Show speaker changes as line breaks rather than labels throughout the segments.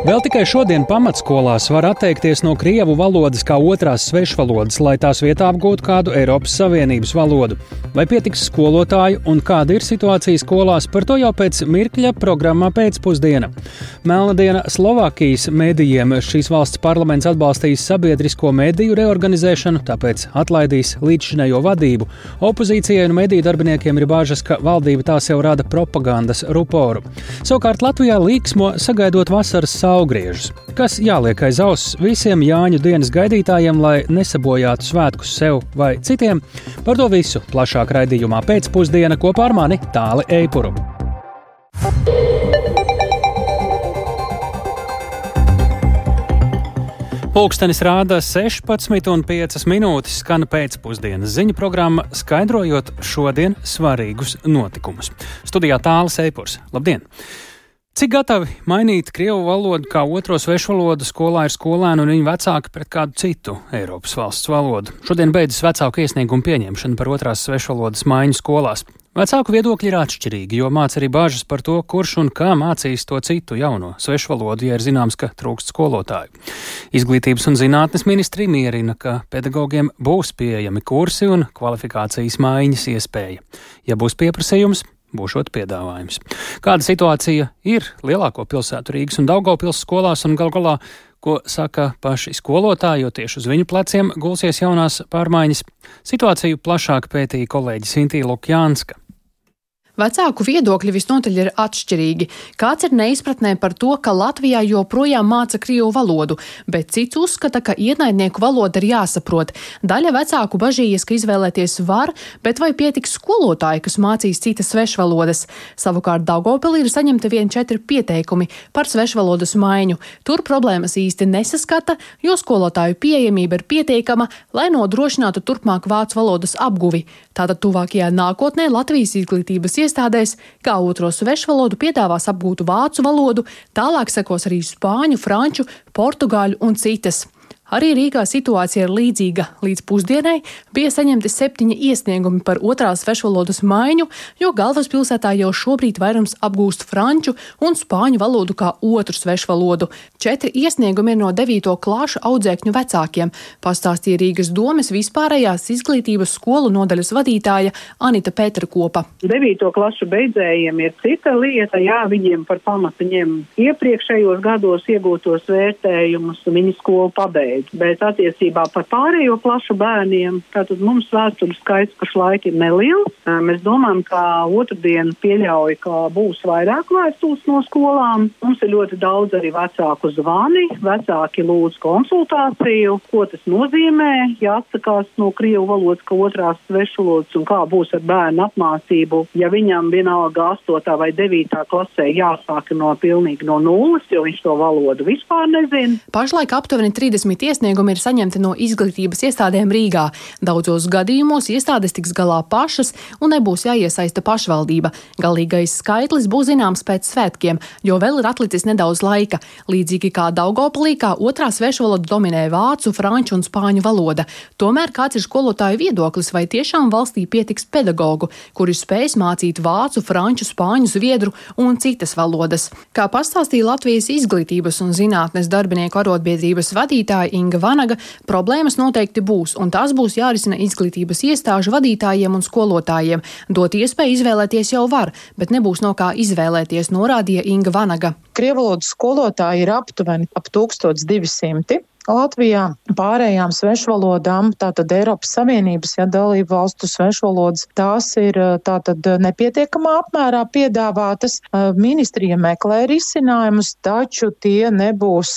Vēl tikai šodien pamatskolās var atteikties no krievu valodas kā otrās svešvalodas, lai tās vietā apgūtu kādu Eiropas Savienības valodu. Vai pietiks skolotāju un kāda ir situācija skolās, par to jau pēc mirkļa programmā pēcpusdiena. Melna diena Slovākijas medijiem. Šīs valsts parlaments atbalstīs sabiedrisko mediju reorganizēšanu, tāpēc atlaidīs līdzšinējo vadību. Opozīcijai un mediju darbiniekiem ir bāžas, ka valdība tās jau rada propagandas ruporu. Savukārt Latvijā līksmo sagaidot vasaras saulgriežus, kas jāliek aiz auss visiem Jāņu dienas gaidītājiem, lai nesabojātu svētkus sev vai citiem. Par to visu plašāk raidījumā pēcpusdiena kopā ar mani Tāli Eipuru. Pulkstenis rāda 16,5 skan pēcpusdienas ziņu programma, skaidrojot šodien svarīgus notikumus. Studijā Tālis Eipurs. Labdien! Cik gatavi mainīt krievu valodu kā otro svešvalodu skolā ir skolēni un viņu vecāki pret kādu citu Eiropas valsts valodu? Šodien beidzas vecāku iesniegumu pieņemšana par otrās svešvalodas maiņu skolās. Vecāku viedokļi ir atšķirīgi, jo māca arī bāžas par to, kurš un kā mācīs to citu jauno svešvalodu, ja ir zināms, ka trūkst skolotāju. Izglītības un zinātnes ministri mierina, ka pedagogiem būs pieejami kursi un kvalifikācijas maiņas iespēja. Ja būs pieprasījums, būšot piedāvājums. Kāda situācija ir lielāko pilsētu Rīgas un Daugavpils skolās un galu galā, ko saka paši skolotāji, jo tieši uz viņu pleciem gulsies jaunās pārmaiņas? Situāciju plašāk pētīja kolēģi Sintīna Lukjānska.
Vecāku viedokļi visnotaļ ir atšķirīgi. Kāds ir neizpratnē par to, ka Latvijā joprojām māca krievu valodu, bet cits uzskata, ka ienaidnieku valoda ir jāsaprot. Daļa vecāku bažījies, ka izvēlēties var, bet vai pietiks skolotāji, kas mācīs citas svešvalodas. Savukārt Daugavpilī ir saņemti vien 4 pieteikumi par svešvalodas maiņu. Tur problēmas īsti nesaskata, jo skolotāju pieejamība ir pietiekama, lai nodrošinātu turpmāk vācu valodas apguvi. Tātad tuvākajā nākotnē Latvijas izglītības iestādēs kā otro svešvalodu piedāvās apgūt vācu valodu, tālāk sekos arī spāņu, franču, portugāļu un citas. Arī Rīgā situācija ir līdzīga. Līdz pusdienai bija saņemti 7 iesniegumi par otrās svešvalodas maiņu, jo galvaspilsētā jau šobrīd vairums apgūst franču un spāņu valodu kā otru svešvalodu. 4 iesniegumi ir no 9. klāšu audzēkņu vecākiem, pastāstīja Rīgas domes vispārējās izglītības skolu nodaļas vadītāja Anita Pēterkopa.
9. klašu beidzējiem ir cita lieta, viņiem par pamatu ņem iepriekšējos gados iegūtos vērtējumus, viņi skolu pabeidz. Bet attiecībā par pārējo klašu bērniem, tātad mums vēstuļu skaits pašlaik ir neliels. Mēs domājam, ka otrdien pieļauj, ka būs vairāk vēstules no skolām. Mums ir ļoti daudz arī vecāku zvani, vecāki lūdz konsultāciju, ko tas nozīmē, ja atsakās no krievu valodas, ka otrās svešvalodas un kā būs ar bērnu apmācību, ja viņam vienalga 8. vai 9. klasē jāsāk pilnīgi no nulles, jo viņš to valodu vispār nezina.
Pašlaik aptuveni 30 iesniegumi ir saņemti no izglītības iestādēm Rīgā. Daudzos gadījumos iestādes tiks galā pašas un nebūs jāiesaista pašvaldība. Galīgais skaitlis būs zināms pēc svētkiem, jo vēl ir atlicis nedaudz laika. Līdzīgi kā Daugavpilī, kā otrā svešvaloda dominē vācu, franču un spāņu valoda. Tomēr kāds ir skolotāju viedoklis, vai tiešām valstī pietiks pedagogu, kuri spēs mācīt vācu, franču, spāņu, zviedru un citas valodas? Kā pastāstīja Latvijas izglītības un zinātnes darbinieku arotbiedrības vadītāja Inga Vanaga, problēmas noteikti būs, un tās būs jārisina izglītības iestāžu vadītājiem un skolotājiem. Dot iespēju izvēlēties jau var, bet nebūs no kā izvēlēties, norādīja Inga Vanaga.
Krievvalodas skolotāji ir aptuveni ap 1200. Latvijā pārējām svešvalodām, tātad Eiropas Savienības, dalību valstu svešvalodas, tās ir tātad nepietiekamā apmērā piedāvātas. Ministrija meklē risinājumus, taču tie nebūs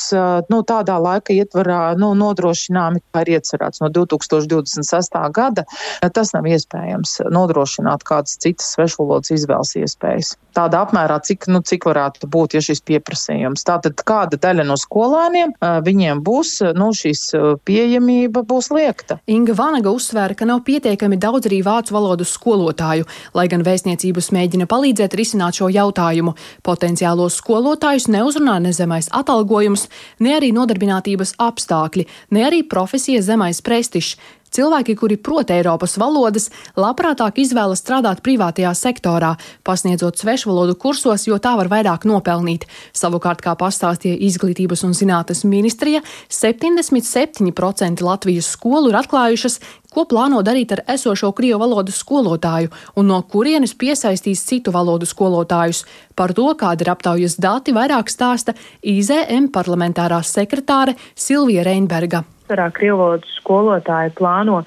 tādā laika ietvarā nodrošināmi, kā ir iecerēts no 2026. gada. Tas nav iespējams nodrošināt kādas citas svešvalodas izvēles iespējas. Tādā apmērā, cik varētu būt, ja šis pieprasījums. Tātad kāda daļa no skolēniem viņiem būs, šīs pieejamība būs liekta.
Inga Vanaga uzsvēra, ka nav pietiekami daudz arī vācu valodas skolotāju, lai gan vēstniecības mēģina palīdzēt risināt šo jautājumu. Potenciālos skolotājus neuzrunā ne zemais atalgojums, ne arī nodarbinātības apstākļi, ne arī profesijas zemais prestižs. Cilvēki, kuri prot Eiropas valodas, labprātāk izvēlas strādāt privātajā sektorā, pasniedzot svešvalodu kursos, jo tā var vairāk nopelnīt. Savukārt, kā pastāstīja Izglītības un zinātnes ministrija, 77% Latvijas skolu ir atklājušas, ko plāno darīt ar esošo krievu valodas skolotāju un no kurienes piesaistīs citu valodu skolotājus. Par to, kāda ir aptaujas dati, vairāk stāsta IZM parlamentārā sekretāre Silvija Reinberga.
Krievu valodas skolotāji plāno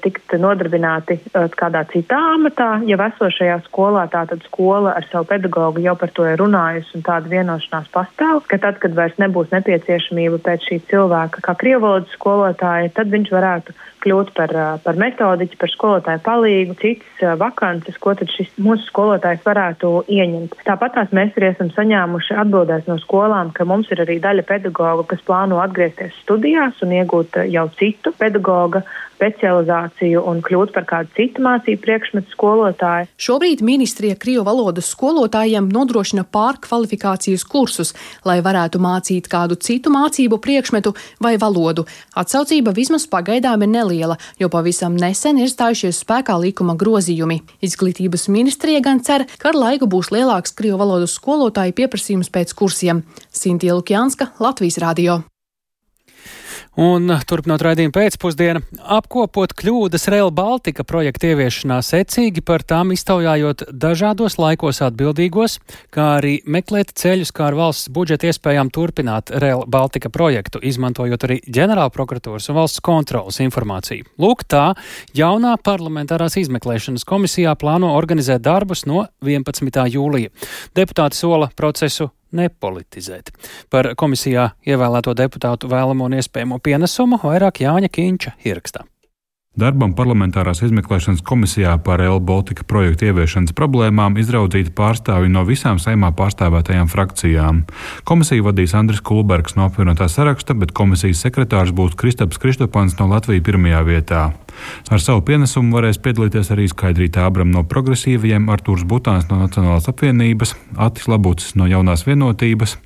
tikt nodarbināti kādā citā amatā, ja esošajā skolā, tātad skola ar savu pedagogu jau par to ir runājusi un tāda vienošanās pastāv, ka tad, kad vairs nebūs nepieciešamība pēc šī cilvēka kā krievu valodas skolotāja, tad viņš varētu kļūt par metodiķi, par skolotāju palīgu, citas vakances, ko tad šis mūsu skolotājs varētu ieņemt. Tāpatās mēs arī esam saņēmuši atbildēs no skolām, ka mums ir arī daļa pedagoga, kas plāno atgriezties studijās un iegūt jau citu pedagoga specializāciju un kļūt par kādu citu mācību priekšmetu skolotāju.
Šobrīd ministrija krievu valodas skolotājiem nodrošina pārkvalifikācijas kursus, lai varētu mācīt kādu citu mācību priekšmetu vai valodu. Atsaucība vismaz pagaidām ir neliela, jo pavisam nesen ir stājušies spēkā likuma grozījumi. Izglītības ministrija gan cer, ka ar laiku būs lielāks krievu valodas skolotāju pieprasījums pēc kursiem. Sintīja Lukjanska, Latvijas radio.
Un turpinot raidījumu pēcpusdienu, apkopot kļūdas Rail Baltica projekta ieviešanā secīgi, par tām iztaujājot dažādos laikos atbildīgos, kā arī meklēt ceļus, kā ar valsts budžeta iespējām turpināt Rail Baltica projektu, izmantojot arī ģenerālprokuratūras un valsts kontrolas informāciju. Lūk, tā jaunā parlamentārās izmeklēšanas komisijā plāno organizēt darbus no 11. jūlija. Deputāti sola procesu nepolitizēt. Par komisijā ievēlēto deputātu vēlamo un iespējamo pienesumu vairāk Jāņa Kīņša ierakstā.
Darbam parlamentārās izmeklēšanas komisijā par Rail Baltica projektu ieviešanas problēmām izraudzīti pārstāvji no visām Saeimā pārstāvētajām frakcijām. Komisiju vadīs Andris Kulbergs no apvienotā saraksta, bet komisijas sekretārs būs Kristaps Kristopans no Latvijas pirmajā vietā. Ar savu pienesumu varēs piedalīties arī Skaidrīta Ābram no Progresīvajiem, Artūrs Butāns no Nacionālās apvienības, Atis Labucis no Jaunās vienotības,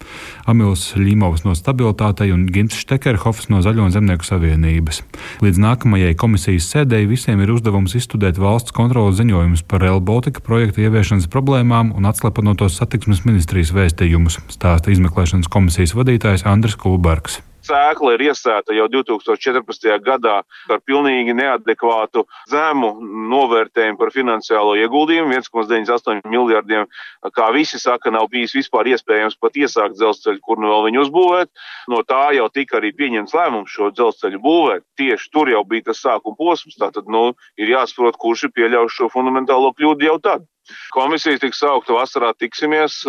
Amils Ļimovs no Stabilitātei un Gints Štekerhofs no Zaļo un Zemnieku savienības. Līdz nākamajai komisijas sēdēji visiem ir uzdevums izstudēt valsts kontroles ziņojumus par Rail Baltica projektu ieviešanas problēmām un atslepenotos satiksmes ministrijas vēstījumus, stāsta izmeklēšanas komisijas vadītājs Andris Kulbergs.
Sēkla ir iesēta jau 2014. gadā ar pilnīgi neadekvātu zemu novērtējumu par finansiālo ieguldījumu, 1,98 miljardiem, kā visi saka, nav bijis vispār iespējams pat iesākt dzelzceļu, kur nu vēl viņu uzbūvēt. No tā jau tika arī pieņemts lēmums šo dzelzceļu būvēt. Tieši tur jau bija tas sākuma posms, tātad ir jāsaprot, kurš ir pieļaujuši šo fundamentālo kļūdu jau tad. Komisija tiks saukta vasarā, tiksimies.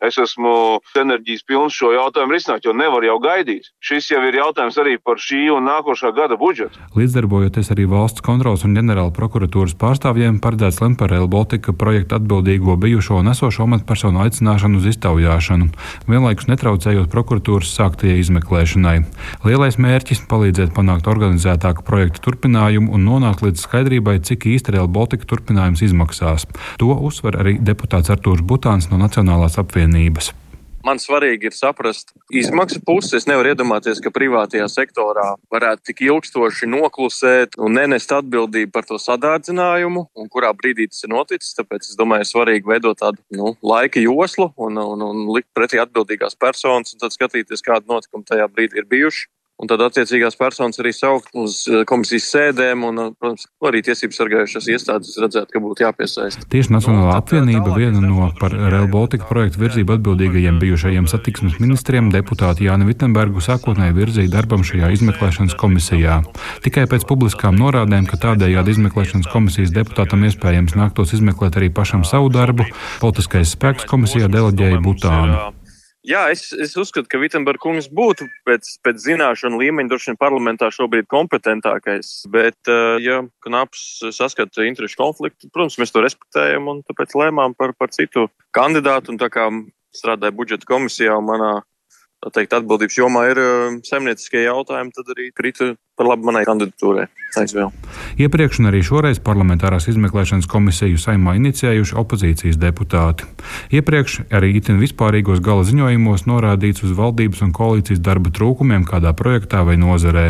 Es esmu enerģijas pilns šo jautājumu risināt, jo nevar jau gaidīt. Šis jau ir jautājums arī par šī un nākošā gada budžetu.
Līdzdarbojoties arī valsts kontrolas un ģenerāla prokuratūras pārstāvjiem, paredzēts lemt par Rail Baltica projektu atbildīgo bijušo un esošo amatpersonu aicināšanu uz iztaujāšanu, vienlaikus netraucējot prokuratūras sāktajai izmeklēšanai. Lielais mērķis - palīdzēt panākt organizētāku projektu turpinājumu un nonākt līdz skaidrībai, cik īsti Rail Baltica turpinājums izmaksās. To uzsver arī deputāts Artūrs Butāns no Nacionālās apvienības.
Man svarīgi ir saprast izmaksu pusi. Es nevaru iedomāties, ka privātajā sektorā varētu tik ilgstoši noklusēt un nenest atbildību par to sadārdzinājumu, un kurā brīdī tas ir noticis. Tāpēc es domāju, ir svarīgi veidot tādu laika joslu un likt pretī atbildīgās personas un tad skatīties, kādi notikumi tajā brīdī ir bijuši. Un tad attiecīgās personas arī saukt uz komisijas sēdēm un, protams, arī tiesības sargājušās iestādes redzēt, ka būtu jāpiesaista.
Tieši Nacionālā apvienība viena no par Rail Baltica projektu virzību atbildīgajiem bijušajiem satiksmes ministriem deputāti Jāni Vittenbergu sākotnēji virzīja darbam šajā izmeklēšanas komisijā. Tikai pēc publiskām norādēm, ka tādējādi izmeklēšanas komisijas deputātam iespējams nāktos izmeklēt arī pašam savu darbu, politiskais spēks komisijā deleģēja Butānu.
Jā, es uzskatu, ka Vittenberga kungs būtu pēc zināšanu līmeņa droši vien parlamentā šobrīd kompetentākais, bet, ja Knaps saskata interešu konfliktu, protams, mēs to respektējam un tāpēc lēmām par citu kandidātu, un tā kā strādāja budžeta komisijā un manā, tā teikt, atbildības jomā ir saimnieciskie jautājumi, tad arī krita par labu manai kandidatūrai.
Iepriekš un arī šoreiz parlamentārās izmeklēšanas komisiju Saeimā inicijējuši opozīcijas deputāti. Iepriekš arī itin vispārīgos gala ziņojumos norādīts uz valdības un koalīcijas darba trūkumiem kādā projektā vai nozarē.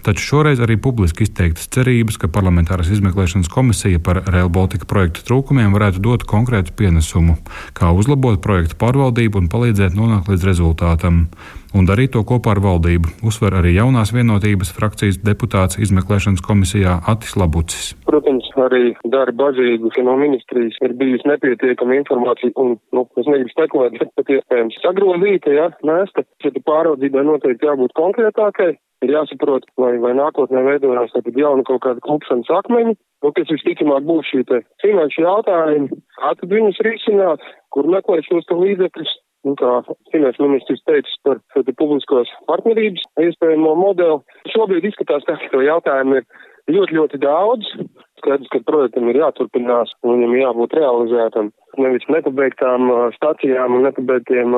Taču šoreiz arī publiski izteiktas cerības, ka parlamentārās izmeklēšanas komisija par Rail Baltica projektu trūkumiem varētu dot konkrētu pienesumu, kā uzlabot projektu pārvaldību un palīdzēt nonākt līdz rezultātam. Un darīt to kopā ar valdību, uzsver arī jaunās vienotības frakcijas deputāts izmeklēšanas komisijā Atis Labucis.
Protams, arī Dara Bažīgu no ministrijas ir bijusi nepietiekama informācija un, es negribu spekulēt, bet pat iespējams sagrozīta, mēsta. Šeit pāraudzībai noteikti jābūt konkrētākai, ir jāsaprot, vai nākotnē veidojās jauna kaut kāda klupšanas akmeņi, kas visticamāk būs šī te finanšu jautājumi, kā tad viņus risināt, kur meklēt šos līdzekļus. Kā finanšu ministrs teicis par publiskos partnerības iespējamo modeli. Šobrīd izskatās, ka to jautājumu ir ļoti, ļoti daudz. Skaidrs, ka projektam ir jāturpinās un viņam jābūt realizētam. Nevis nepabeigtām stacijām un nepabeigtiem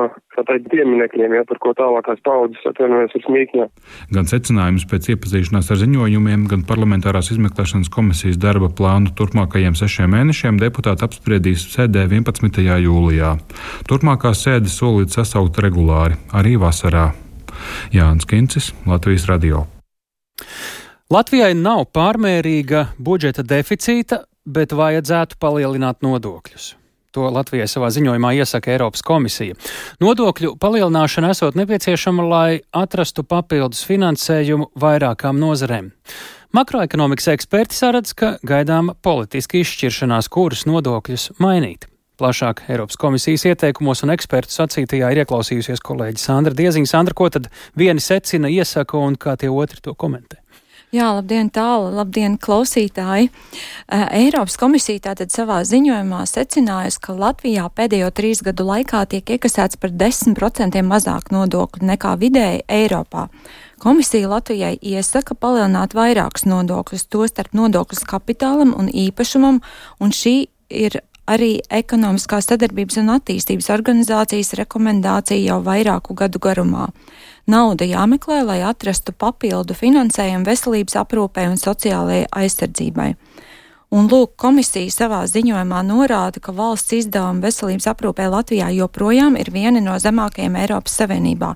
pieminekļiem, par ko tālākās paudzes atvienojas ar smīkņā.
Gan secinājums pēc iepazīšanās ar ziņojumiem, gan parlamentārās izmeklēšanas komisijas darba plānu turpmākajiem 6 mēnešiem deputāti apspriedīs sēdē 11. jūlijā. Turpmākās sēdes solīts sasaukt regulāri, arī vasarā. Jānis Kincis, Latvijas radio.
Latvijai nav pārmērīga budžeta deficīta, bet vajadzētu palielināt nodokļus. To Latvijai savā ziņojumā iesaka Eiropas komisija. Nodokļu palielināšana esot nepieciešama, lai atrastu papildus finansējumu vairākām nozarēm. Makroekonomikas eksperti saredz, ka gaidāma politiska izšķiršanās, kuras nodokļus mainīt. Plašāk Eiropas komisijas ieteikumos un ekspertu sacītajā ir ieklausījusies kolēģi Sandra Dieziņa. Sandra, ko tad vieni secina, iesaka un kā tie otri to komentē?
Jā, labdien tālu, labdien klausītāji. Eiropas komisija tātad savā ziņojumā secinājusi, ka Latvijā pēdējo 3 gadu laikā tiek iekasēts par 10% mazāk nodokļu nekā vidēji Eiropā. Komisija Latvijai iesaka palielināt vairākus nodokļus, tostarp nodokļus kapitālam un īpašumam, un šī ir arī Ekonomiskās sadarbības un attīstības organizācijas rekomendācija jau vairāku gadu garumā. Nauda jāmeklē, lai atrastu papildu finansējumu veselības aprūpei un sociālajai aizsardzībai. Un lūk, komisija savā ziņojumā norāda, ka valsts izdevumi veselības aprūpei Latvijā joprojām ir vieni no zemākajiem Eiropas Savienībā.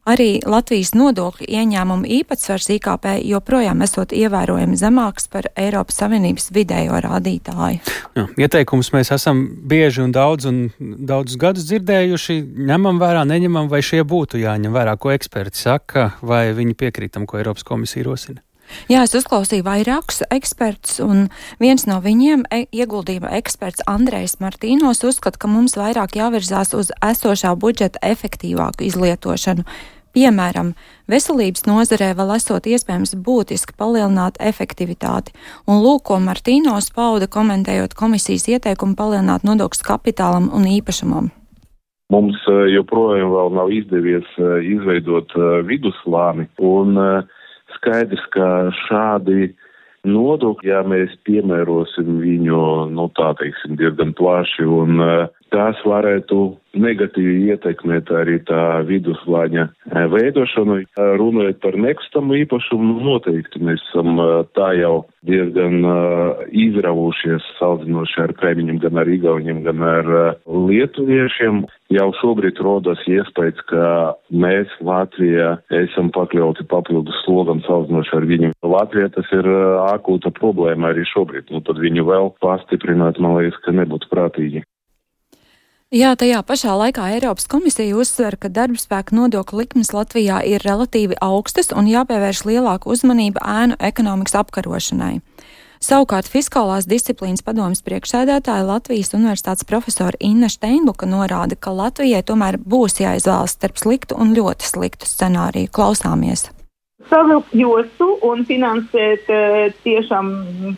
Arī Latvijas nodokļu ieņēmumu īpatsvars IKP joprojām esot ievērojami zemāks par Eiropas Savienības vidējo rādītāju.
Jā, ieteikumus mēs esam bieži un daudzus gadus dzirdējuši. Ņemam vērā, neņemam, vai šie būtu jāņem vērā, ko eksperti saka, vai viņi piekrītam, ko Eiropas komisija rosina?
Jā, es uzklausīju vairākus ekspertus, un viens no viņiem, ieguldījuma eksperts Andrejs Martīnos, uzskata, ka mums vairāk jāvirzās uz esošā budžeta efektīvāku izlietošanu. Piemēram, veselības nozarē vēl esot iespējams būtiski palielināt efektivitāti, un lūk, ko Martīnos pauda, komentējot komisijas ieteikumu palielināt nodokļus kapitālam un īpašumam.
Mums joprojām vēl nav izdevies izveidot vidusslāni, un skaidrs, ka šādi nodokļi, ja mēs piemērosim viņu, diezgan plaši, un tās varētu negatīvi ietekmēt arī tā viduslāņa veidošanu. Runājot par nekustamo īpašumu, noteikti mēs esam tā jau diezgan izravušies salīdzinoši ar kaimiņiem, gan ar igauņiem, gan ar lietuviešiem. Jau šobrīd rodas iespējas, ka mēs Latvijā esam pakļauti papildus slogam salīdzinoši ar viņu. Latvijā tas ir akūta problēma arī šobrīd, tad viņu vēl pastiprināt, man liekas, ka nebūtu prātīgi.
Jā, tajā pašā laikā Eiropas komisija uzsver, ka darbspēka nodokļu likmes Latvijā ir relatīvi augstas un jāpievērš lielāka uzmanība ēnu ekonomikas apkarošanai. Savukārt Fiskālās disciplīnas padomes priekšsēdētāja Latvijas universitātes profesora Inna Steinbuka norāda, ka Latvijai tomēr būs jāizvēlas starp sliktu un ļoti sliktu scenāriju. Klausāmies!
Savilkt jostu un finansēt, tiešām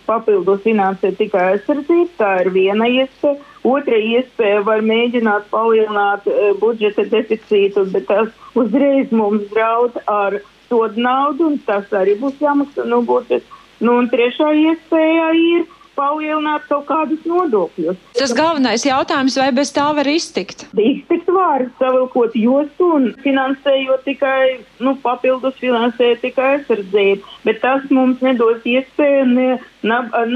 papildus finansēt tikai aizsardzību, tā ir viena iespēja. Otra iespēja var mēģināt palielināt budžeta deficītu, bet tas uzreiz mums draud ar sodu naudu, un tas arī būs jāmaksā no budžeta. Un trešā iespēja ir palielināt kaut kādus nodokļus.
Tas galvenais jautājums, vai bez tā var iztikt?
Iztikt var, savilkot jostu un finansējot tikai, papildus finansējot tikai aizsardzību. Bet tas mums nedos iespēju ne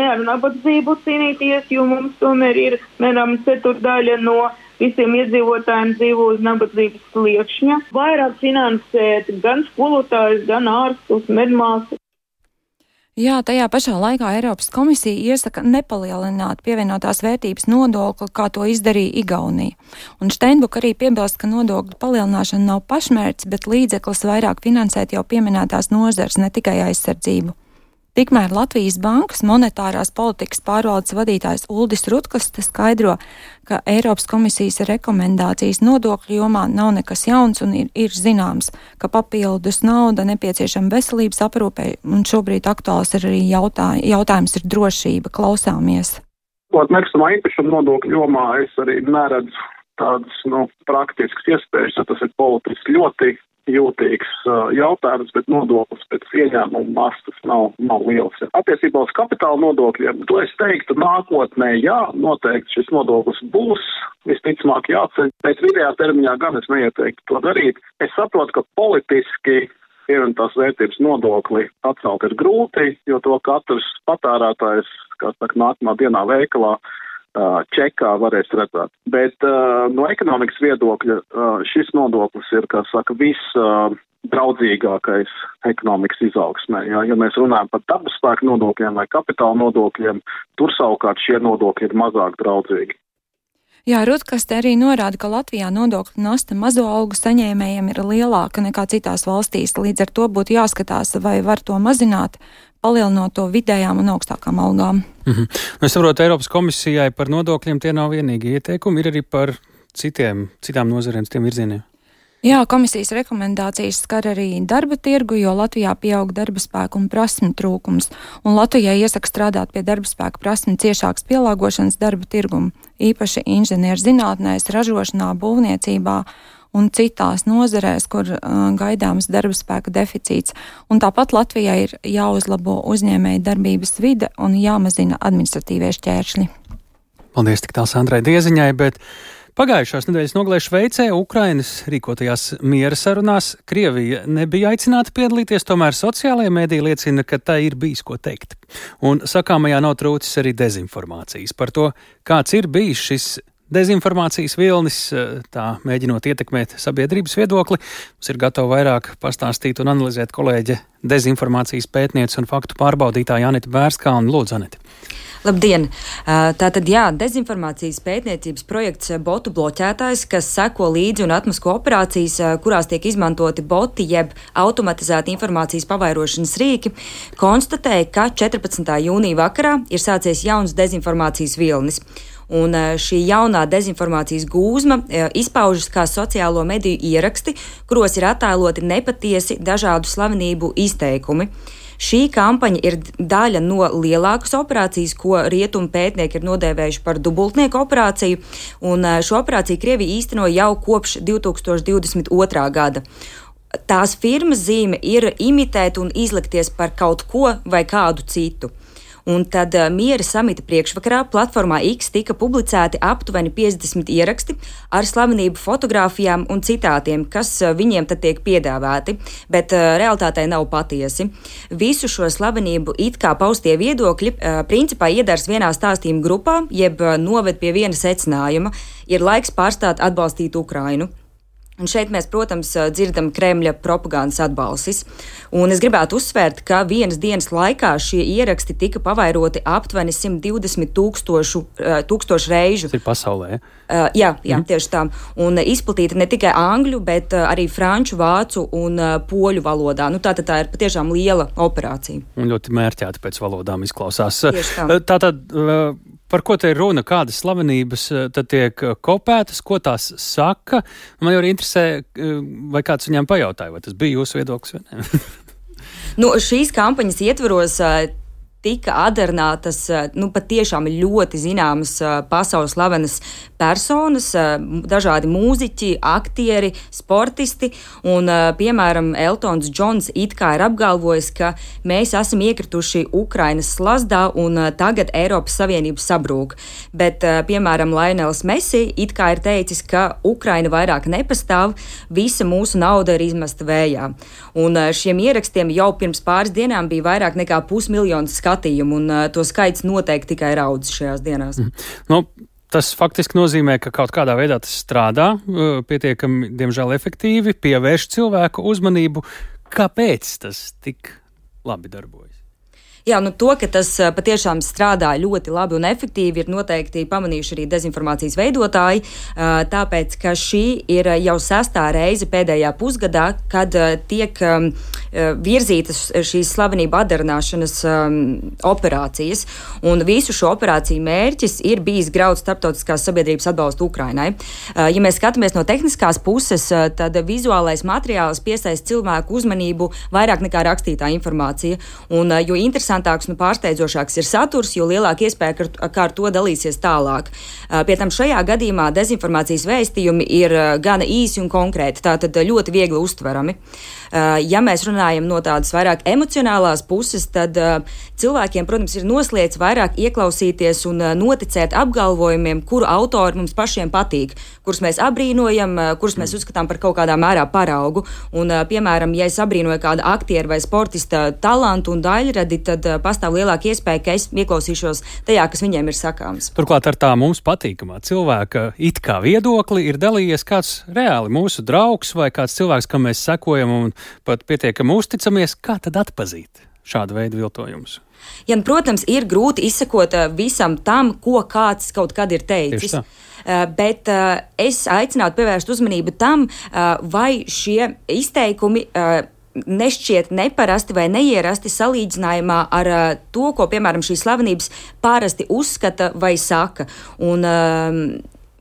ar nabadzību cīnīties, jo mums tomēr ir, ceturdaļa no visiem iedzīvotājiem dzīvo uz nabadzības sliekšņa. Vairāk finansēt gan skolotājus, gan ārstus, medmāsas.
Jā, tajā pašā laikā Eiropas komisija iesaka nepalielināt pievienotās vērtības nodokli, kā to izdarīja Igaunija. Un Steinbuka arī piebilst, ka nodokļu palielināšana nav pašmērķis, bet līdzeklis vairāk finansēt jau pieminētās nozares, ne tikai aizsardzību. Tikmēr Latvijas Bankas monetārās politikas pārvaldes vadītājs Uldis Rutkas skaidro, ka Eiropas komisijas rekomendācijas nodokļu jomā nav nekas jauns un ir zināms, ka papildus nauda nepieciešama veselības aprūpei, un šobrīd aktuāls ir arī jautājums ir drošība. Klausāmies.
Nekustamā īpašuma nodokļu jomā es arī neredzu tādas praktiskas iespējas, jo tas ir politiski ļoti jūtīgs jautājums, bet nodoklis pēc ieņēmuma mastas nav liels. Attiecībā uz kapitāla nodokļiem, to es teiktu nākotnē, jā, noteikti šis nodoklis būs, visticamāk jāceļ, bet vidējā termiņā gan es neieteiktu to darīt. Es saprotu, ka politiski pievienotās vērtības nodokli atcelt ir grūti, jo to katrs patērētājs, nākamā dienā veikalā čekā varēs redzēt. Bet no ekonomikas viedokļa šis nodoklis ir, draudzīgākais ekonomikas izaugsmē. Ja mēs runājam par dabas spēku nodokļiem vai kapitāla nodokļiem, tur savukārt šie nodokļi ir mazāk draudzīgi.
Jā, Rutkas te arī norāda, ka Latvijā nodokļu nasta mazo algu saņēmējiem ir lielāka nekā citās valstīs. Līdz ar to būtu jāskatās, vai var to mazināt, palielinot to vidējām un augstākām algām.
Es saprotu, Eiropas komisijai par nodokļiem tie nav vienīgi ieteikumi, ir arī par citām nozarēm, citiem virzieniem.
Jā, komisijas rekomendācijas skar arī darba tirgu, jo Latvijā pieaug darba spēku un prasmu trūkums, un Latvijai iesaka strādāt pie darba spēku prasmu ciešākas pielāgošanas darba tirgumu, īpaši inženierzinātnēs, ražošanā, būvniecībā un citās nozarēs, kur gaidāms darba spēka deficīts. Un tāpat Latvijai ir jāuzlabo uzņēmēju darbības vide un jāmazina administratīvie šķēršļi.
Paldies tik tāls Andrai Dieziņai, bet pagājušās nedēļas nogalē Šveicē Ukrainas rīkotajās miera sarunās Krievija nebija aicināta piedalīties, tomēr sociālajie mēdī liecina, ka tai ir bijis ko teikt. Un sakāmajā nav trūcis arī dezinformācijas. Par to, kāds ir bijis šis dezinformācijas vilnis, tā mēģinot ietekmēt sabiedrības viedokli, mums ir gatava vairāk pastāstīt un analizēt kolēģe dezinformācijas pētniece un faktu pārbaudītāja Anita Bērskāne. Lūdzu, Anita.
Labdien! Tātad, jā, dezinformācijas pētniecības projekts botu bloķētājs, kas seko līdzi un atmasko operācijas, kurās tiek izmantoti boti jeb automatizēti informācijas pavairošanas rīki, konstatēja, ka 14. jūnija vakarā ir sācies jauns dezinformācijas vilnis. Un šī jaunā dezinformācijas gūzma izpaužas kā sociālo mediju ieraksti, kuros ir attēloti nepatiesi dažādu slavenību izteikumi. Šī kampaņa ir daļa no lielākas operācijas, ko rietumu pētnieki ir nodēvējuši par dubultnieku operāciju, un šo operāciju Krievija īsteno jau kopš 2022. gada. Tās firmas zīme ir imitēt un izlikties par kaut ko vai kādu citu. Un tad miera samita priekšvakarā platformā X tika publicēti aptuveni 50 ieraksti ar slavenību fotogrāfijām un citātiem, kas viņiem tad tiek piedāvāti, bet realitātē nav patiesi. Visu šo slavenību it kā paustie viedokļi principā iedars vienā stāstījuma grupā, jeb noved pie viena secinājuma – ir laiks pārstāt atbalstīt Ukrainu. Un šeit mēs, protams, dzirdam Kremļa propagandas atbalsis. Un es gribētu uzsvērt, ka vienas dienas laikā šie ieraksti tika pavairoti aptuveni 120 tūkstošu reižu.
Tas ir pasaulē,
ja? Jā, tieši tā. Un izplatīta ne tikai angļu, bet arī franču, vācu un poļu valodā. Tātad tā ir patiešām liela operācija.
Un ļoti mērķēta pēc valodām izklausās.
Tieši tā.
Tātad, par ko te ir runa? Kādas slavenības tad tiek kopētas? Ko tās saka? Man jau arī interesē, vai kāds viņām pajautāja, vai tas bija jūsu viedoklis vai ne?
Šīs kampaņas ietvaros tika adernātas patiešām ļoti zināmas pasaules slavenas personas, dažādi mūziķi, aktieri, sportisti, un, piemēram, Eltons Džons it kā ir apgalvojis, ka mēs esam iekrituši Ukrainas slazdā un tagad Eiropas Savienība sabrūk. Bet, piemēram, Lionels Messi it kā ir teicis, ka Ukraina vairāk nepastāv, visa mūsu nauda ir izmesta vējā. Un šiem ierakstiem jau pirms pāris dienām bija vairāk nekā 500 000 skatījumu, un to skaits noteikti tikai raudz šajās dienās.
Tas faktiski nozīmē, ka kaut kādā veidā tas strādā, pietiekami, diemžēl, efektīvi, pievērš cilvēku uzmanību. Kāpēc tas tik labi darbojas?
Jā, to, ka tas patiešām strādā ļoti labi un efektīvi, ir noteikti pamanījuši arī dezinformācijas veidotāji, tāpēc, ka šī ir jau 6. reize pēdējā pusgadā, kad tiek virzītas šīs slavenība adarināšanas operācijas, un visu šo operāciju mērķis ir bijis graut starptautiskās sabiedrības atbalstu Ukrainai. Ja mēs skatāmies no tehniskās puses, tad vizuālais materiāls piesaista cilvēku uzmanību vairāk nekā rakstītā informācija, un jo interesantāks un pārsteidzošāks ir saturs, jo lielāka iespēja, kā ar to dalīsies tālāk. Pie tam šajā gadījumā dezinformācijas vēstījumi ir gana īsi un konkrēti, tātad ļoti viegli uztverami. Ja mēs runājam no tādas vairāk emocionālās puses, tad cilvēkiem, protams, ir noslēdz vairāk ieklausīties un noticēt apgalvojumiem, kuru autori mums pašiem patīk, kurus mēs abrīnojam, kurus mēs uzskatām par kaut kādā mērā paraugu. Un, piemēram, ja es abrīnoju kādu aktieru vai sportista talantu un daļradi, tad pastāv lielāka iespēja, ka es ieklausīšos tajā, kas viņiem ir sakāms.
Turklāt ar tā mums patīkamā cilvēka it kā viedokli ir dalījies kāds reāli mūsu draugs vai kāds cilvēks, kam mēs sekojam un pat pietiekami uzticamies. Kā tad atpazīt šādu veidu viltojumus?
Ja, protams, ir grūti izsekot visam tam, ko kāds kaut kad ir teicis. Bet es aicinātu pievērst uzmanību tam, vai šie izteikumi nešķiet neparasti vai neierasti salīdzinājumā ar to, ko, piemēram, šīs slavenības parasti uzskata vai saka. Un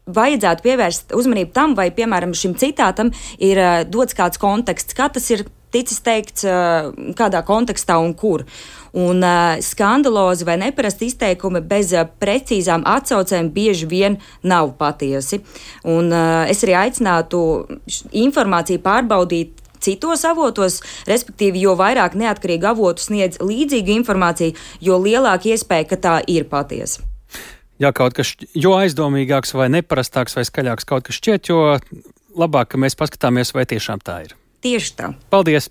vajadzētu pievērst uzmanību tam, vai, piemēram, šim citātam ir dots kāds konteksts, kā tas ir ticis teikts, kādā kontekstā un kur. Un skandalozi vai neparasti izteikumi bez precīzām atsaucēm bieži vien nav patiesi. Un es arī aicinātu informāciju pārbaudīt citos avotos, respektīvi, jo vairāk neatkarīgi avotu sniedz līdzīgu informāciju, jo lielāka iespēja, ka tā ir patiesa.
Ja kaut kas, jo aizdomīgāks vai neparastāks vai skaļāks kaut kas šķiet, jo labāk, ka mēs paskatāmies, vai tiešām tā ir.
Tieši tā.
Paldies,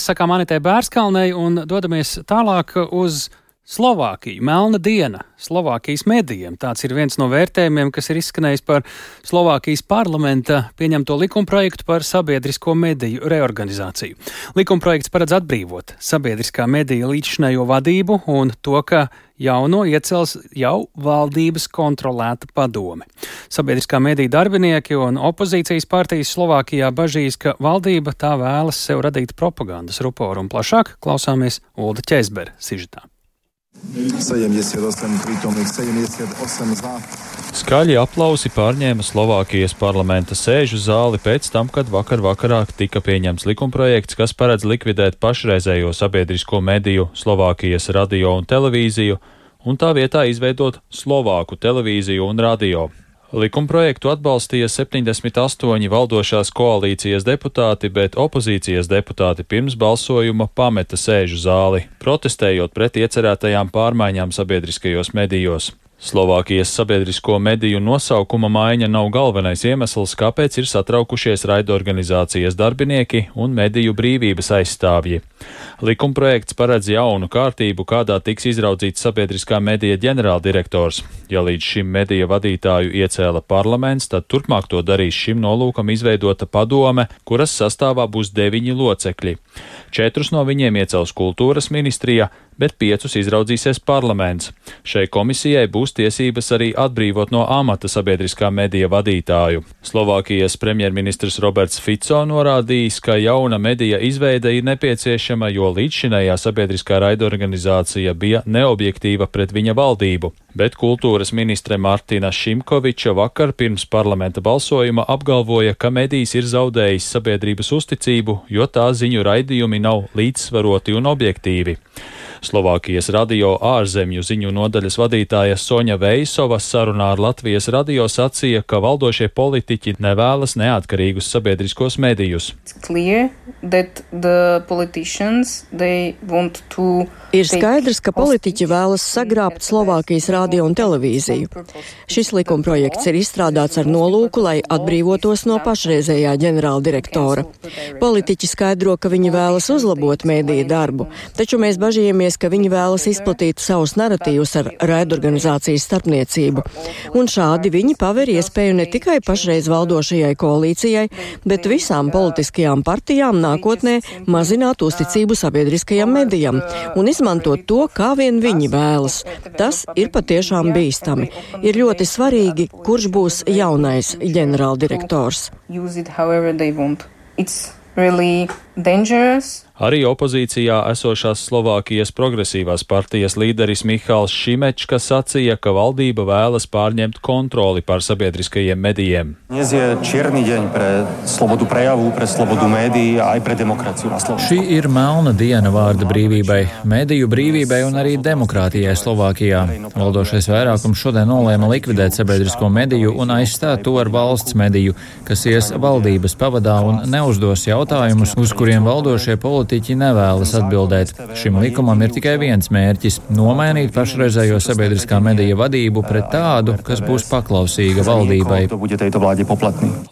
sakām Anitai Bērskalnei, un dodamies tālāk uz Slovākiju. Melna diena Slovākijas medijiem. Tāds ir viens no vērtējumiem, kas ir izskanējis par Slovākijas parlamenta pieņemto likumprojektu par sabiedrisko mediju reorganizāciju. Likumprojekts paredz atbrīvot sabiedriskā medija līdzšinējo vadību un to, ka jauno iecels jau valdības kontrolēta padome. Sabiedriskā mediju darbinieki un opozīcijas partijas Slovākijā bažīs, ka valdība tā vēlas sev radīt propagandas ruporu, un plašāk klausāmies Ulda Ķezbera sižetā.
78 prítomných, 78 za.
Skaļi aplausi pārņēma Slovākijas parlamenta sēžu zāli pēc tam, kad vakarā tika pieņemts likumprojekts, kas paredz likvidēt pašreizējo sabiedrisko mediju Slovākijas radio un televīziju, un tā vietā izveidot Slovāku televīziju un radio. Likumprojektu atbalstīja 78 valdošās koalīcijas deputāti, bet opozīcijas deputāti pirms balsojuma pameta sēžu zāli, protestējot pret iecerētajām pārmaiņām sabiedriskajos medijos. Slovākijas sabiedrisko mediju nosaukuma maiņa nav galvenais iemesls, kāpēc ir satraukušies raidorganizācijas darbinieki un mediju brīvības aizstāvji. Likumprojekts paredz jaunu kārtību, kādā tiks izraudzīts sabiedriskā medija ģenerāldirektors. Ja līdz šim medija vadītāju iecēla parlaments, tad turpmāk to darīs šim nolūkam izveidota padome, kuras sastāvā būs 9 locekļi. 4 no viņiem iecels kultūras ministrija, bet 5 izraudzīsies parlaments. Šai komisijai būs tiesības arī atbrīvot no amata sabiedriskā medija vadītāju. Slovākijas premjerministrs Roberts Fico norādījis, ka jauna medija izveide ir nepieciešama, jo līdzšinējā sabiedriskā raidorganizācija bija neobjektīva pret viņa valdību. Bet kultūras ministre Martina Šimkoviča vakar pirms parlamenta balsojuma apgalvoja, ka medijs ir zaudējis sabiedrības uzticību, jo tā ziņu raidījumi nav līdzsvaroti un objektīvi. Slovākijas radio ārzemju ziņu nodaļas vadītāja Soņa Veisova sarunā ar Latvijas radio sacīja, ka valdošie politiķi nevēlas neatkarīgus sabiedriskos medijus.
Ir skaidrs, ka politiķi vēlas sagrābt Slovākijas radio un televīziju. Šis likumprojekts ir izstrādāts ar nolūku, lai atbrīvotos no pašreizējā ģenerāldirektora. Politiķi skaidro, ka viņi vēlas uzlabot mēdīju darbu, taču mēs bažījamies, ka viņi vēlas izplatīt savus naratīvus ar raidorganizācijas starpniecību. Un šādi viņi paver iespēju ne tikai pašreiz valdošajai koalīcijai, bet visām politiskajām partijām nākotnē mazināt uzticību sabiedriskajam medijam un izmantot to, kā vien viņi vēlas. Tas ir patiešām bīstami. Ir ļoti svarīgi, kurš būs jaunais ģenerāldirektors.
Arī opozīcijā esošās Slovākijas progresīvās partijas līderis Mihāls Šimečka sacīja, ka valdība vēlas pārņemt kontroli pār sabiedriskajiem medijiem.
Šī ir melna diena vārda brīvībai, mediju brīvībai un arī demokrātijai Slovākijā. Valdošais vairākums šodien nolēma likvidēt sabiedrisko mediju un aizstāt to ar valsts mediju, kas ies valdības pavadā un neuzdos jautājumus, uz kuriem valdošie politiķi nevēlas atbildēt. Šim likumam ir tikai viens mērķis – nomainīt pašreizējo sabiedriskā medija vadību pret tādu, kas būs paklausīga valdībai.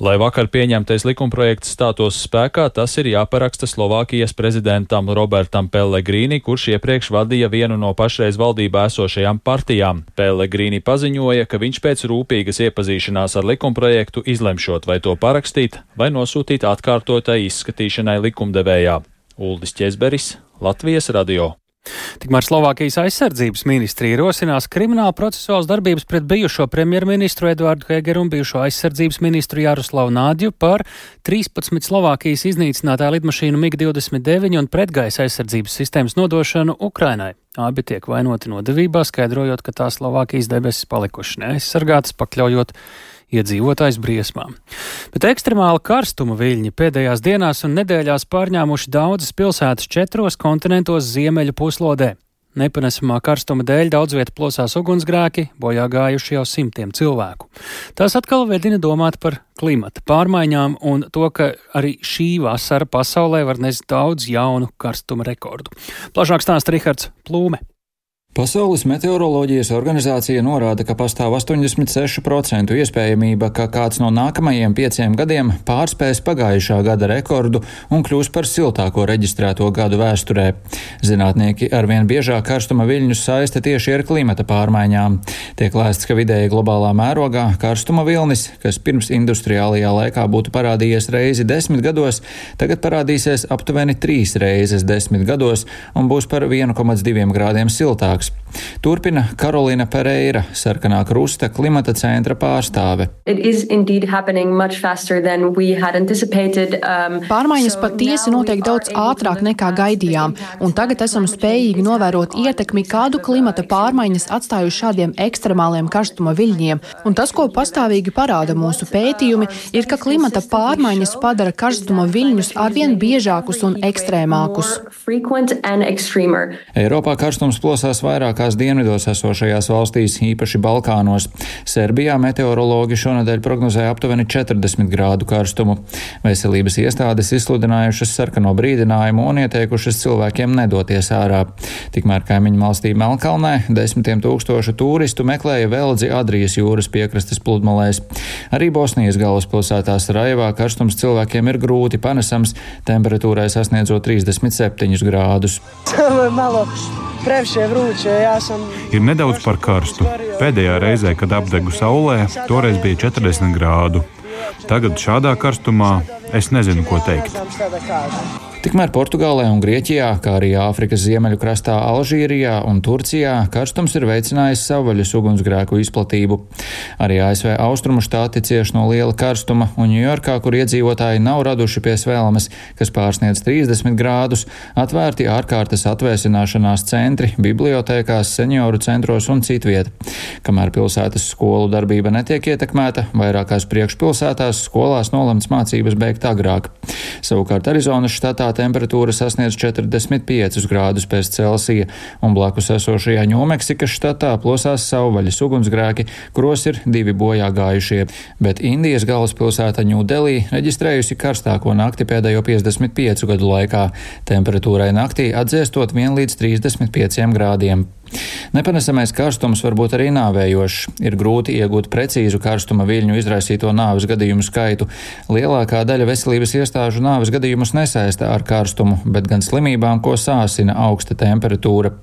Lai vakar pieņemtais likumprojekts stātos spēkā, tas ir jāparaksta Slovākijas prezidentam Robertam Pellegrini, kurš iepriekš vadīja vienu no pašreiz valdībā esošajām partijām. Pellegrini paziņoja, ka viņš pēc rūpīgas iepazīšanās ar likumprojektu izlemšot, vai to parakstīt, vai nosūtīt atkārtotai izskatīšanai likumdevējā. Uldis Ķezberis, Latvijas radio.
Tikmēr Slovākijas aizsardzības ministrija rosinās krimināla procesuāls darbības pret bijušo premjerministru Eduardu Hegeru un bijušo aizsardzības ministru Jaroslavu Nādju par 13 Slovākijas iznīcinātāju lidmašīnu MiG-29 un pretgaisa aizsardzības sistēmas nodošanu Ukrainai. Abi tiek vainoti nodevībā, skaidrojot, ka tās Slovākijas debesis palikušas neaizsargātas, pakļaujot iedzīvotājs briesmām. Bet ekstremāla karstuma viļņi pēdējās dienās un nedēļās pārņēmuši daudzas pilsētas 4 kontinentos ziemeļu puslodē. Nepanesamā karstuma dēļ daudz vieta plosās ugunsgrēki, bojā gājuši jau simtiem cilvēku. Tas atkal vedina domāt par klimata pārmaiņām un to, ka arī šī vasara pasaulē var nest daudz jaunu karstuma rekordu. Plašāk stāsta Rihards Plūme.
Pasaules meteoroloģijas organizācija norāda, ka pastāv 86% iespējamība, ka kāds no nākamajiem 5 gadiem pārspēs pagājušā gada rekordu un kļūs par siltāko reģistrēto gadu vēsturē. Zinātnieki arvien biežāk karstuma viļņus saista tieši ar klimata pārmaiņām. Tiek lēsts, ka vidēji globālā mērogā karstuma vilnis, kas pirms industriālajā laikā būtu parādījies reizi 10 gados, tagad parādīsies aptuveni 3 reizes 10 gados un būs par 1,2 grādiem siltāks. Turpina Karolina Pereira, Sarkanā krusta klimata centra pārstāve.
Pārmaiņas patiesi notiek daudz ātrāk nekā gaidījām, un tagad esam spējīgi novērot ietekmi, kādu klimata pārmaiņas atstājuši šādiem ekstremāliem karstuma viļņiem. Un tas, ko pastāvīgi parāda mūsu pētījumi, ir, ka klimata pārmaiņas padara karstuma viļņus arvien biežākus un ekstrēmākus.
Eiropā karstums plosās vairākās dienvidos esošajās valstīs, īpaši Balkānos. Serbijā meteorologi šonedēļ prognozēja aptuveni 40 grādu karstumu. Veselības iestādes izsludinājušas sarkano brīdinājumu un ieteikušas cilvēkiem nedoties ārā. Tikmēr kaimiņu valstī Melnkalnē 10 000 turistu meklēja veldzi Adrijas jūras piekrastes pludmalēs. Arī Bosnijas galvaspilsētā Sarajevā karstums cilvēkiem ir grūti panesams, temperatūrai sasniedzot 37 grādus.
Ir nedaudz par karstu. Pēdējā reizē, kad apdegu saulē, toreiz bija 40 grādu. Tagad šādā karstumā es nezinu, ko teikt.
Tikmēr Portugālē un Grieķijā, kā arī Āfrikas ziemeļu krastā Alžīrijā un Turcijā, karstums ir veicinājis savvaļas ugunsgrēku izplatību. Arī ASV austrumu štāti cieš no liela karstuma, un Ņujorkā, kur iedzīvotāji nav raduši pie svēlmes, kas pārsniedz 30 grādus, atvērti ārkārtas atvēsināšanās centri, bibliotēkās, senioru centros un citviet. Kamēr pilsētas skolu darbība netiek ietekmēta, vairākās priekšpilsētās skolās nolemts mācības beigt agrāk. Savukārt Arizonas štatā temperatūra sasniedz 45 grādus pēc Celsija, un blakus esošajā Ņūmeksikas štatā plosās savvaļas ugunsgrēki, kuros ir 2 bojā gājušie, bet Indijas galvaspilsēta Ņūdelī reģistrējusi karstāko nakti pēdējo 55 gadu laikā, temperatūrai naktī atdziestot 1 līdz 35 grādiem. Nepanesamais karstums var būt arī nāvējošs. Ir grūti iegūt precīzu karstuma viļņu izraisīto nāves gadījumu skaitu. Lielākā daļa veselības iestāžu nāves gadījumus nesaista ar karstumu, bet gan slimībām, ko sāsina augsta temperatūra.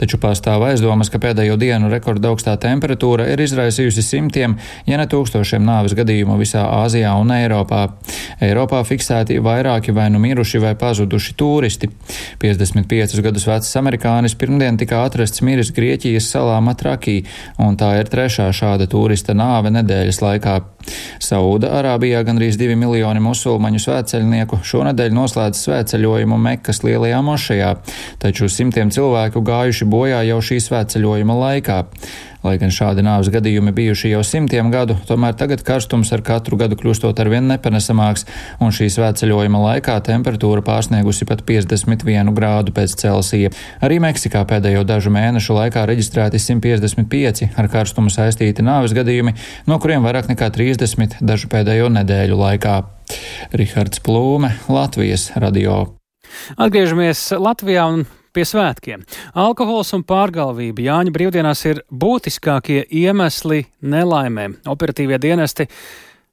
Taču pastāv aizdomas, ka pēdējo dienu rekordaugstā temperatūra ir izraisījusi simtiem, ja ne tūkstošiem nāves gadījumu visā Āzijā un Eiropā. Eiropā fiksēti vairāki vai nu miruši vai pazuduši tūristi. 55 gadus vecs amerikānis pirmdien tika atrasts miris Grieķijas salā Matrakī, un tā ir 3. šāda turista nāve nedēļas laikā. Sauda Arābijā gandrīz 2 miljoni musulmaņu svētceļnieku šonedēļ noslēdz svētceļojumu Mekas lielajā mošejā, taču simtiem cilvēku gājuši bojā jau šī svētceļojuma laikā. Lai gan šādi nāves gadījumi bijuši jau simtiem gadu, tomēr tagad karstums ar katru gadu kļūstot arvien nepanesamāks, un šī svētceļojuma laikā temperatūra pārsniegusi pat 51 grādu pēc Celsija. Arī Meksikā pēdējo dažu mēnešu laikā reģistrēti 155 ar karstumu saistīti nāves gadījumi, no kuriem vairāk nekā 30 dažu pēdējo nedēļu laikā. Rihards Plūme, Latvijas radio.
Atgriežamies Latvijā un pie svētkiem. Alkohols un pārgalvība Jāņu brīvdienās ir būtiskākie iemesli nelaimēm. Operatīvie dienesti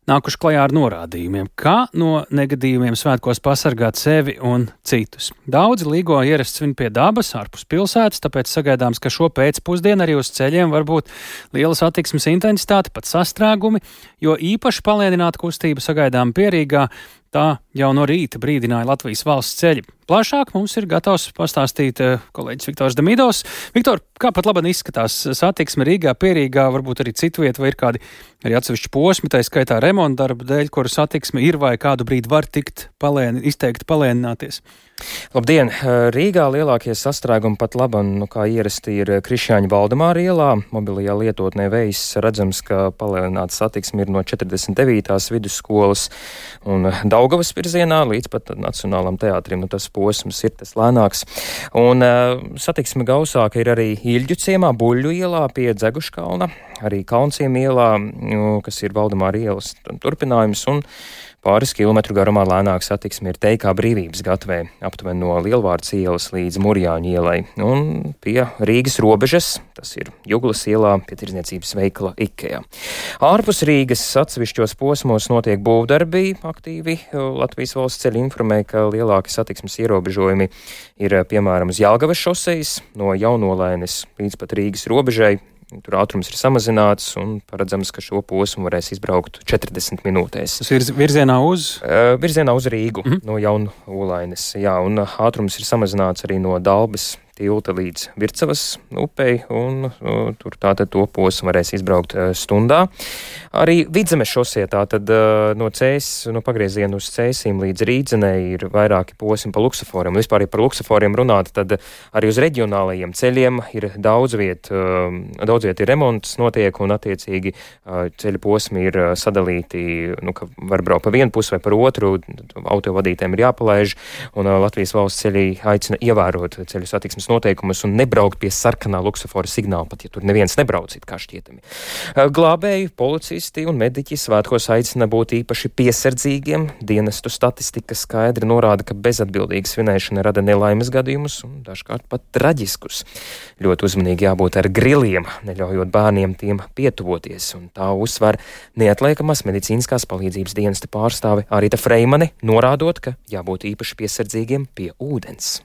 nākuši klajā ar norādījumiem, kā no negadījumiem svētkos pasargāt sevi un citus. Daudzi līgo ierasts svin pie dabas, ārpus pilsētas, tāpēc sagaidāms, ka šo pēcpusdienu arī uz ceļiem var būt liela satiksmes intensitāte, pat sastrēgumi, jo īpaši palēnināta kustība sagaidām Pierīgā. Tā jau no rīta brīdināja Latvijas valsts ceļi. Plašāk mums ir gatavs pastāstīt kolēģis Viktors Demidovs. Viktor, kā pat labāk izskatās satiksme Rīgā, Pierīgā, varbūt arī citu vietu, vai ir kādi arī atsevišķi posmi, tā skaitā remonta darba dēļ, kuru satiksme ir vai kādu brīdi var tikt izteikti palēnināties?
Labdien! Rīgā lielākie sastrēgumi pat labam, kā ierasti, ir Krišjāņa Valdemāra ielā. Mobilajā lietotnē Vejs redzams, ka palēnināta satiksme ir no 49. vidusskolas un Daugavas virzienā līdz pat Nacionālam teātrim. Tas posms ir tas lēnāks. Un satiksme gausāka ir arī Ilģu ciemā, Buļļu ielā pie Dzeguškalna, arī Kalnciem ielā, kas ir Valdemāra ielas turpinājums, un pāris kilometru garumā lēnāk satiksme ir Teikā Brīvības gatvē, aptuveni no Lielvārds ielas līdz Murjāņu ielai, un pie Rīgas robežas, tas ir Juglas ielā, pie tirdzniecības veikala Ikea. Ārpus Rīgas atsevišķos posmos notiek būvdarbi aktīvi. Latvijas valsts ceļi informē, ka lielāki satiksmes ierobežojumi ir piemēram uz Jelgavas šosejas no Jaunolaines līdz pat Rīgas robežai. Tur ātrums ir samazināts un paredzams, ka šo posmu varēs izbraukt 40 minūtēs.
Tas ir virzienā uz?
Virzienā uz Rīgu, no Jaunolaines, jā, un ātrums ir samazināts arī no Dalbes tilta līdz Vircavas upei, un tur tātad to posmu varēs izbraukt stundā. Arī Vidzemes šosē tātad no pagrieziena uz Cēsīm līdz Rīdzenei ir vairāki posmi pa luksaforiem. Vispār, ja par luksaforiem runāt, tad arī uz reģionālajiem ceļiem ir daudz viet ir remonts notiek, un attiecīgi ceļu posmi ir sadalīti, ka var braukt pa vienu pusi vai par otru, autovadītēm ir jāpalaiž, un Latvijas valsts ceļi aicina ievērot ceļu satiksmes noteikumus un nebraukt pie sarkanā luksafora signāla, pat ja tur neviens nebrauc, it kā šķietami. Glābēji, policisti un mediķi svētkos aicina būt īpaši piesardzīgiem. Dienestu statistika skaidri norāda, ka bezatbildīga svinēšana rada nelaimes gadījumus un dažkārt pat traģiskus. Ļoti uzmanīgi jābūt ar griliem, neļaujot bērniem tiem pietuvoties, un tā uzsver neatliekamās medicīniskās palīdzības dienesta pārstāve Arita Freimane, norādot, ka jābūt īpaši piesardzīgiem pie ūdens.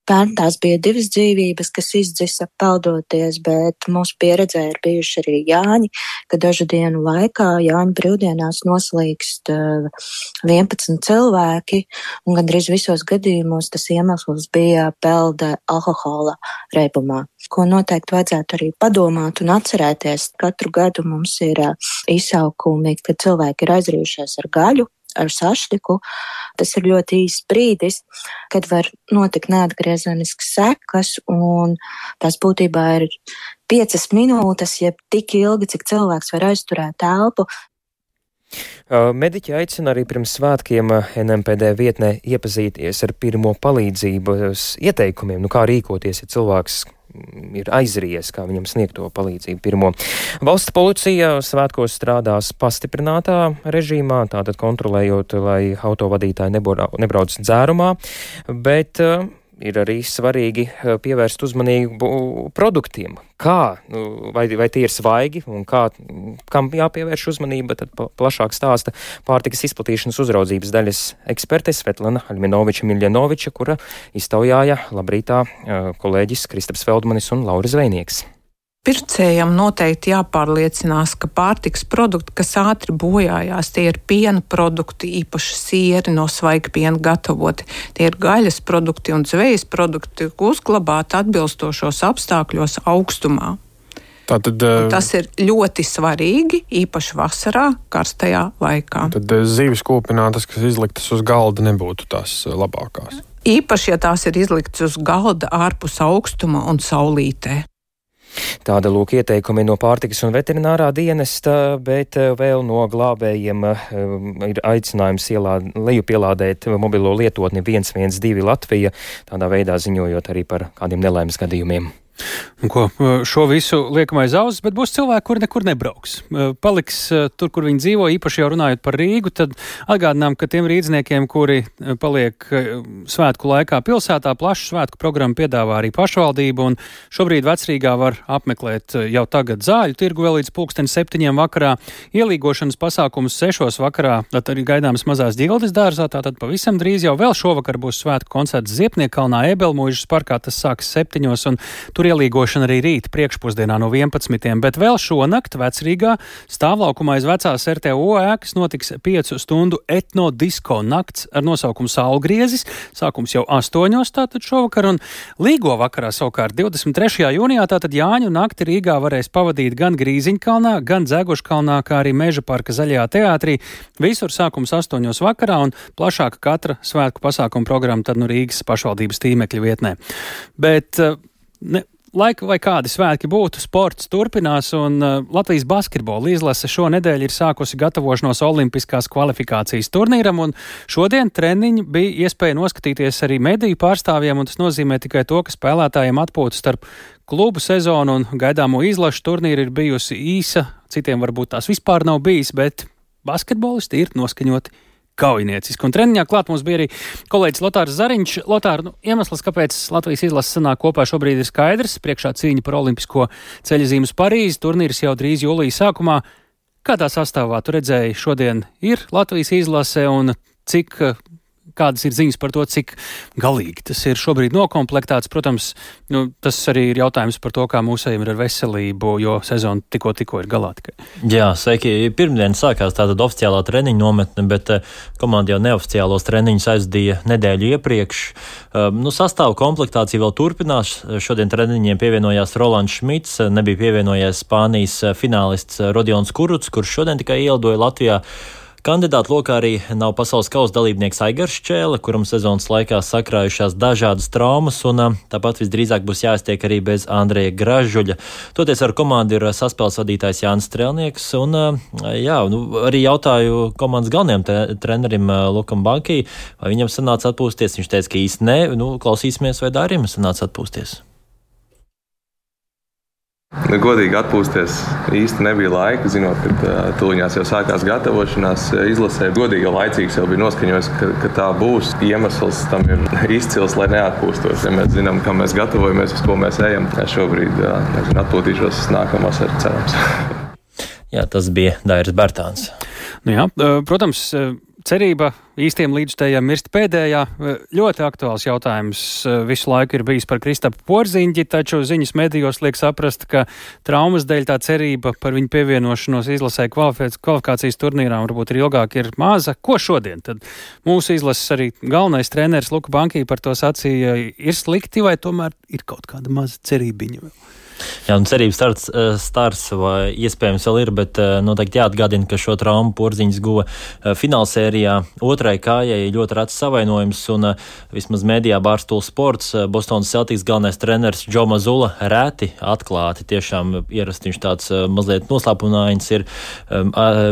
Pērn tās bija 2 dzīvības, kas izdzisa peldoties, bet mūsu pieredzē ir bijuši arī Jāņi, ka dažu dienu laikā Jāņu brīvdienās noslīkst 11 cilvēki, un gandrīz visos gadījumos tas iemesls bija pelde alkohola reibumā. Ko noteikti vajadzētu arī padomāt un atcerēties. Katru gadu mums ir izsaukumi, kad cilvēki ir aizrījušies ar gaļu, ar sašķiku. Tas ir ļoti īsts brīdis, kad var notikt neatgriezeniskas sekas, un tās būtībā ir 5 minūtes, jeb tik ilgi, cik cilvēks var aizturēt telpu.
Mediķi aicina arī pirms svētkiem NMPD vietnē iepazīties ar pirmo palīdzības ieteikumiem, kā rīkoties, ja cilvēks ir aizries, kā viņam sniegt to palīdzību pirmo. Valsts policija svētkos strādās pastiprinātā režīmā, tātad kontrolējot, lai autovadītāji nebrauc dzērumā, bet ir arī svarīgi pievērst uzmanību produktiem. Kā, vai tie ir svaigi un kam jāpievērš uzmanība, tad plašāk stāsta pārtikas izplatīšanas uzraudzības daļas eksperte Svetlana Aļminoviča-Miljanoviča, kura iztaujāja labrītā kolēģis Kristaps Feldmanis un Lauris Zvejnieks.
Pircējam noteikti jāpārliecinās, ka pārtikas produkti, kas ātri bojājās, tie ir piena produkti, īpaši sieri no svaiga piena gatavoti. Tie ir gaļas produkti un zvejas produkti, uzglabāti atbilstošos apstākļos augstumā.
Tātad,
tas ir ļoti svarīgi, īpaši vasarā, karstajā laikā.
Tad zivis kūpinātas, kas izliktas uz galda, nebūtu tās labākās.
Īpaši, ja tās ir izliktas uz galda ārpus augstuma un saulītē.
Tāda lūk ieteikumi no pārtikas un veterinārā dienesta, bet vēl no glābējiem ir aicinājums lejupielādēt mobilo lietotni 112 Latvija, tādā veidā ziņojot arī par kādiem nelaimes gadījumiem.
Šo visu liekam aiz auss, bet būs cilvēki, kuri nekur nebrauks. Paliks tur, kur viņi dzīvo, īpaši jau runājot par Rīgu, tad atgādinām, ka tiem rīdzniekiem, kuri paliek svētku laikā pilsētā, plašu svētku programmu piedāvā arī pašvaldība, un šobrīd Vecrīgā var apmeklēt jau tagad Zāļu tirgu vēl līdz 7:00 vakarā, ielīgošanas pasākumus 6:00 vakarā, tad arī gaidāms Mazās Ģildes dārzā, tātad pavisam drīz jau vēl šovakar būs svētku koncerts Ziepniekalnā, Ebelmuižas parkā, tas sāks 7:00, un tur ielīgošana arī rīt priekšpusdienā no 11:00, bet vēl šonakt Vecrīgā stāvlaukumā aiz vecās RTO ēkas notiks 5 stundu etnodisko nakts ar nosaukumu Saulgriezis. Sākums jau 8:00 tātad šovakar, un līgo vakarā savukārt 23. jūnijā tātad Jāņu nakti Rīgā varēs pavadīt gan Grīziņkalnā, gan Dzeguškalnā, kā arī Meža parka Zaļajā teātrī. Visur sākums 8:00 vakarā, un plašāka katra svētku pasākuma programma tad nu Rīgas pašvaldības tīmekļa vietnē. Bet laika vai kādi svētki būtu, sports turpinās, un Latvijas basketbola izlase šonedēļ ir sākusi gatavošanos olimpiskās kvalifikācijas turnīram, un šodien treniņi bija iespēja noskatīties arī mediju pārstāvjiem, un tas nozīmē tikai to, ka spēlētājiem atpūta starp klubu sezonu un gaidāmo izlašu turnīru ir bijusi īsa, citiem varbūt tās vispār nav bijis, bet basketbolisti ir noskaņoti kaujinieciski. Un treniņā klāt mums bija arī kolēģis Lotārs Zariņš. Lotār, iemesls, kāpēc Latvijas izlase sanāk kopā šobrīd ir skaidrs. Priekšā cīņa par olimpisko ceļazīmu uz Parīzi. Turnīrs jau drīz jūlija sākumā. Kādā sastāvā tu redzēji šodien ir Latvijas izlase un kādas ir ziņas par to, cik galīgi tas ir šobrīd nokomplektēts? Protams, tas arī ir jautājums par to, kā mūsējiem ir ar veselību, jo sezona tikko ir galā tikai.
Jā, sveiki. Pirmdien sākās tātad oficiālā treniņa nometne, bet komanda jau neoficiālos treniņus aizdīja nedēļu iepriekš. Sastāvu komplektācija vēl turpinās. Šodien treniņiem pievienojās Rolands Šmits, nebija pievienojies Spānijas finālists Rodions Kurucs, kurš šodien tikai ielidoja Latvijā. Kandidātu lokā arī nav pasaules kausa dalībnieks Aigars Šķēle, kuram sezonas laikā sakrājušās dažādas traumas, un tāpat visdrīzāk būs jāiztiek arī bez Andreja Gražuļa. Toties ar komandu ir saspēles vadītājs Jānis Strēlnieks, un arī jautāju komandas galvenajam trenerim Lukam Bankī, vai viņam sanāca atpūsties. Viņš teica, ka īsti nē, klausīsimies, vai Dārim sanāca atpūsties.
Godīgi atpūsties īsti nebija laika, zinot, ka tuliņās jau sākās gatavošanās izlasē. Godīgi jau laicīgs jau bija noskaņojis, ka tā būs. Iemesls tam ir izcils, lai neatpūstos. Ja mēs zinām, kam mēs gatavojamies, uz ko mēs ejam, šobrīd atpūtīšos nākamās ar cerams.
Jā, tas bija Dairis Bērtāns.
Protams, cerība īstiem līdzstējiem mirst pēdējā. Ļoti aktuāls jautājums visu laiku ir bijis par Kristapu Porziņģi, taču ziņas medijos liek saprast, ka traumas dēļ tā cerība par viņu pievienošanos izlasē kvalifikācijas turnīrām varbūt ir ilgāk ir maza. Ko šodien? Tad mūsu izlases arī galvenais treneris Luka Bankī par to sacīja, ir slikti vai tomēr ir kaut kāda maza cerībiņa vēl?
Jā, un cerības starts vai iespējams vēl ir, bet noteikti jāatgādina, ka šo traumu Porziņš guva finālsērijā otrai kājai ļoti rats savainojums, un vismaz mēdījā Barstool Sports Bostonas Celtics galvenais treneris Joe Mazzulla reti atklāti, tiešām ierasti viņš tāds mazliet noslēpunains ir,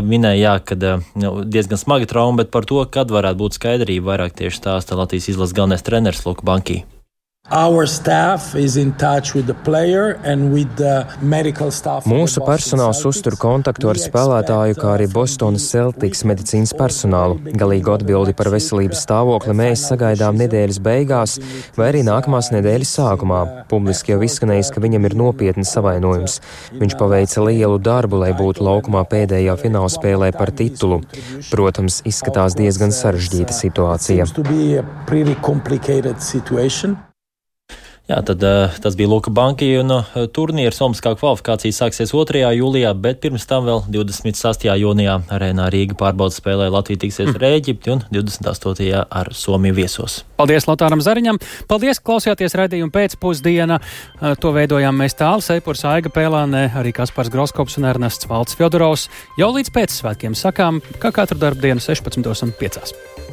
minēja, ka diezgan smaga trauma, bet par to, kad varētu būt skaidrība, vairāk tieši stāsta Latvijas izlases galvenais treneris Luka Banki.
Mūsu personāls uztur kontaktu ar spēlētāju, kā arī Bostonas Celtics medicīnas personālu. Galīgu atbildi par veselības stāvokli mēs sagaidām nedēļas beigās vai arī nākamās nedēļas sākumā. Publiski jau izskanējis, ka viņam ir nopietnas savainojums. Viņš paveica lielu darbu, lai būtu laukumā pēdējā finālspēlē par titulu. Protams, izskatās diezgan sarežģīta situācija.
Jā, tad tas bija Luka Banki, un turnīrs Olimpiskā kvalifikācija sāksies 2. jūlijā, bet pirms tam vēl 26. jūnijā arēnā Rīga pārbaudas spēlē Latvija tiksies ar Ēģipti un 28. ar Somiju viesos.
Paldies Lotāram Zariņam, paldies, klausījāties raidījumu pēcpusdiena. To veidojām mēs Tāls Eipurs, Aiga Pēlāne, arī Kaspars Groskops un Ernests Valds Fjodorovs. Jau līdz pēcsvētkiem sakām, kā katru darbdienu 16:05.